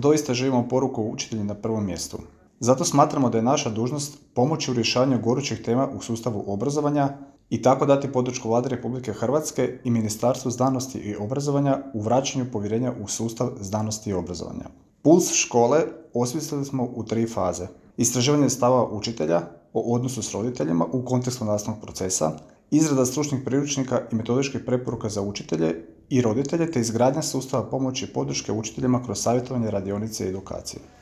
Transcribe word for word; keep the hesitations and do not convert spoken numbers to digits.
Doista živimo poruku učitelji na prvom mjestu. Zato smatramo da je naša dužnost pomoći u rješavanju gorućih tema u sustavu obrazovanja i tako dati podršku Vladi Republike Hrvatske i Ministarstvu znanosti i obrazovanja u vraćanju povjerenja u sustav znanosti i obrazovanja. Puls škole osmislili smo u tri faze. Istraživanje stava učitelja o odnosu s roditeljima u kontekstu nastavnog procesa, izrada stručnih priručnika i metodičkih preporuka za učitelje i roditelje te izgradnja sustava pomoći i podrške učiteljima kroz savjetovanje, radionice i edukacije.